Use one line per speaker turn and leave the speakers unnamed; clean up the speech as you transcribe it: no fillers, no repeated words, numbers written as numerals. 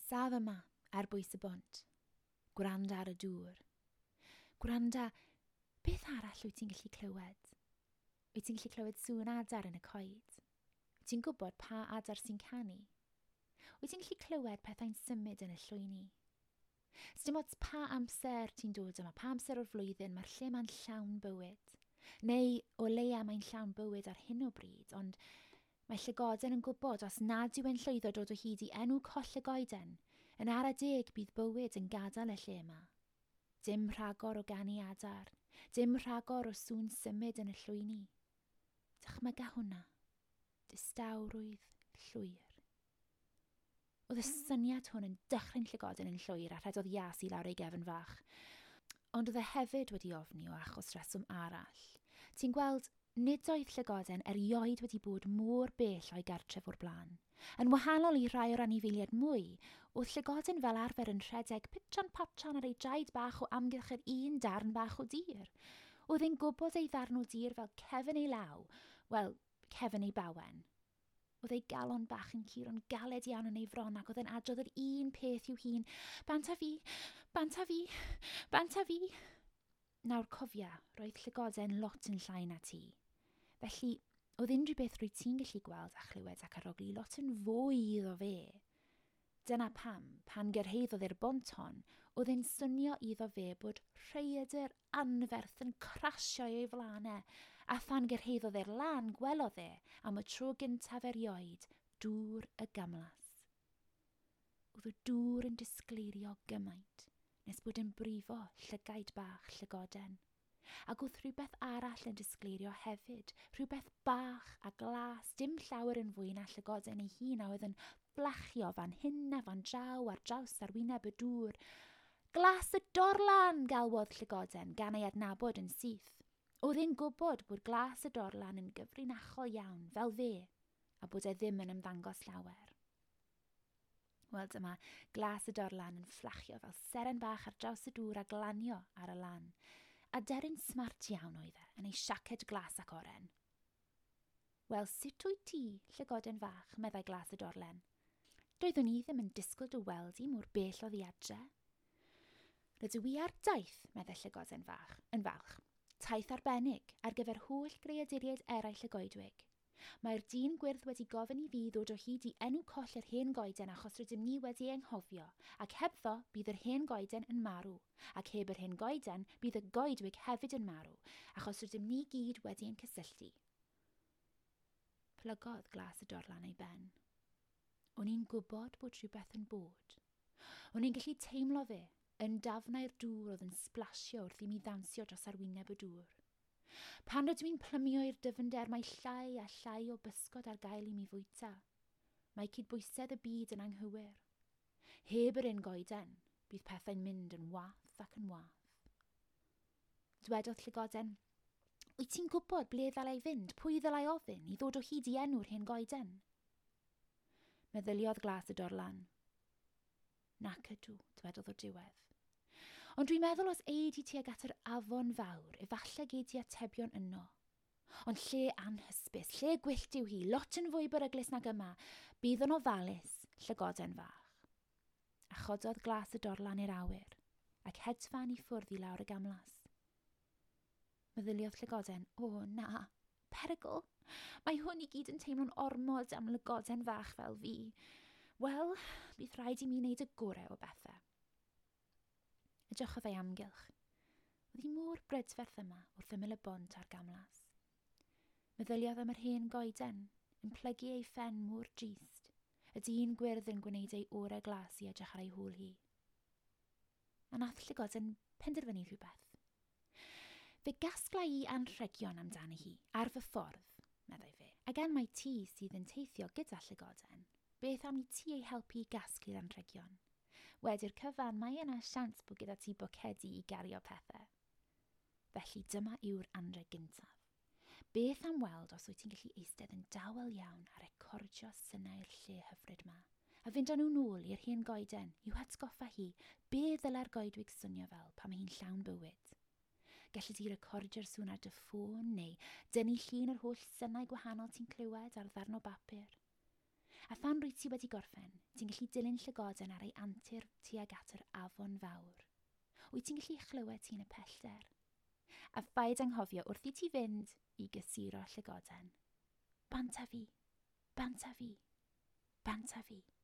Saf yma ar bwys y bont. Gwranda ar y dŵr. Gwranda, beth arall wyt ti'n gallu clywed? Wyt ti'n gallu clywed sŵn adar yn y coed? Wyt ti'n gwybod pa adar sy'n canu? Wyt ti'n gallu clywed pethau'n symud yn y llwyni? Sdim ots pa amser ti'n dod yma, pa amser o'r flwyddyn, mae'r lle ma'n llawn bywyd. Neu o leia mae'n llawn bywyd ar hyn o bryd, ond mae llygoden yn gwybod os nad yw e'n llwyddo dod o hyd i enw coll y goeden, yn ara deg bydd bywyd yn gadael y lle yma. Dim rhagor o ganu adar, dim rhagor o sŵn symud yn y llwyni. Dychmyga hwnna. Distawrwydd llwyr. Oedd y syniad hwn yn dychryn llygoden yn llwyr a rhedodd ias i lawr ei gefn fach. Ond oedd e hefyd wedi ofni o achos rheswm arall. Ti'n gweld, nid oedd llygoden erioed wedi bod mor bell o'i gartref o'r blaen. Yn wahanol i rai o'r anifeiliaid mwy, oedd llygoden fel arfer yn rhedeg pitran patran ar ei draed bach o amgylch yr un darn bach o dir. Oedd e'n gwybod ei ddarn o dir fel cefn ei law, wel, cefn ei bawen. Oedd ei galon bach yn curo'n galed iawn yn ei fron ac oedd e'n adrodd yr un peth i'w hun. Bant a fi, bant a fi, bant a fi. Nawr cofia, roedd llygoden lot yn llai na ti. Felly, oedd unrhyw beth rwy ti'n gallu gweld a chlywed ac arogli lot yn fwy iddo fe. Dyna pam, pan gyrhaeddodd e'r bont hon, oedd e'n swnio iddo fe bod rhaeadr anferth yn crasio ei flaen e, a phan gyrhaeddodd e'r lan gwelodd e am y tro gyntaf erioed dŵr y gamlas. Oedd y dŵr yn disgleirio gymaint, nes bod yn brifo llygaid bach llygoden. Ac oedd rhywbeth arall yn disgleirio hefyd, rhywbeth bach a glas, dim llawer yn fwy na llygoden ei hun a oedd yn fflachio fan hyn a fan draw ar draws ar wyneb y dŵr. Glas y dorlan, galwodd llygoden, gan ei adnabod yn syth. Oedd e'n gwybod bod glas y dorlan yn gyfrinachol iawn, fel fe, a bod e ddim yn ymddangos llawer. Wel dyma glas y dorlan yn fflachio fel seren bach ar draws y dŵr a glanio ar y lan. A deryn smart iawn oedd e, yn ei siaced glas ac oren. Wel, sut wyt ti, llygoden fach, meddai glas y dorlen. Doeddwn i ddim yn disgwyl dy weld i mor bell oddi adre. Rydw i ar daith, meddai llygoden fach, yn falch. Taith arbennig ar gyfer holl greaduriaid eraill y goedwig. Mae'r dyn gwyrdd wedi gofyn i fi ddod o hyd i enw coll yr hen goeden achos rydym ni wedi anghofio, ac hebddo bydd yr hen goeden yn marw, ac heb yr hen goeden bydd y goedwig hefyd yn marw, achos rydym ni gyd wedi ein cysylltu. Plygodd glas y dorlan ei ben. O'n i'n gwybod bod rhywbeth yn bod. O'n i'n gallu teimlo fe, yn dafnau'r dŵr oedd yn splasio wrth i mi ddawnsio dros arwyneb y dŵr. Pan rydw i'n plymio i'r dyfnder, mae llai a llai o bysgod ar gael i mi fwyta. Mae cydbwysedd y byd yn anghywir. Heb yr un goeden, bydd pethau'n mynd yn wath ac yn wath. Dwedodd llygoden, wyt ti'n gwybod ble ddylai fynd, pwy ddylai ofyn i ddod o hyd i enw'r hen goeden? Meddyliodd glas y dorlan. Nac ydw, dwedodd o'r diwedd. Ond dwi'n meddwl os ei di tuag at yr afon fawr, efallai gei di atebion yno. Ond lle anhysbys, lle gwyllt yw hi, lot yn fwy beryglus nag yma, bydd yn ofalus, llygoden fach. A chododd glas y dorlan i'r awyr, ac hedfan i ffwrdd i lawr y gamlas. Meddyliodd llygoden, o na, perygl, mae hwn i gyd yn teimlo'n ormod am lygoden fach fel fi. Wel, bydd rhaid i mi wneud y gorau o bethau. Edrychodd ei amgylch. Oedd hi mor brydferth yma wrth ymyl y bont a'r gamlas. Meddyliodd am yr hen goeden, yn plygu ei phen mor drist, y dyn gwyrdd yn gwneud ei orau glas i edrych ar ei hôl hi. A nath llygoden penderfynu rhywbeth. Fe gasgla i anrhegion amdani hi, ar fy ffordd, meddai fe. A gan mai ti sydd yn teithio gyda llygoden, beth am i ti ei helpu i gasglu'r anrhegion? Wedi'r cyfan, mae yna siawns bod gyda ti bocedi i gario pethau. Felly dyma yw'r anrheg gyntaf. Beth am weld os wyt ti'n gallu eistedd yn dawel iawn a recordio synau'r lle hyfryd ma, a fynd â nhw nôl i'r hen goeden i'w hatgoffa hi be ddylai'r goedwig swnio fel pan mae hi'n llawn bywyd. Gelli di recordio'r sŵn ar dy ffôn neu dynnu llun yr holl synau gwahanol ti'n clywed ar ddarn o bapur. A phan rwyt ti wedi gorffen, ti'n gallu dilyn llygoden ar ei antur tuag at yr afon fawr. Wyt ti'n gallu chlywed ti'n y pellter? A phaid anghofio wrth i ti fynd i gysuro llygoden. Bant â fi, bant â fi, bant â fi.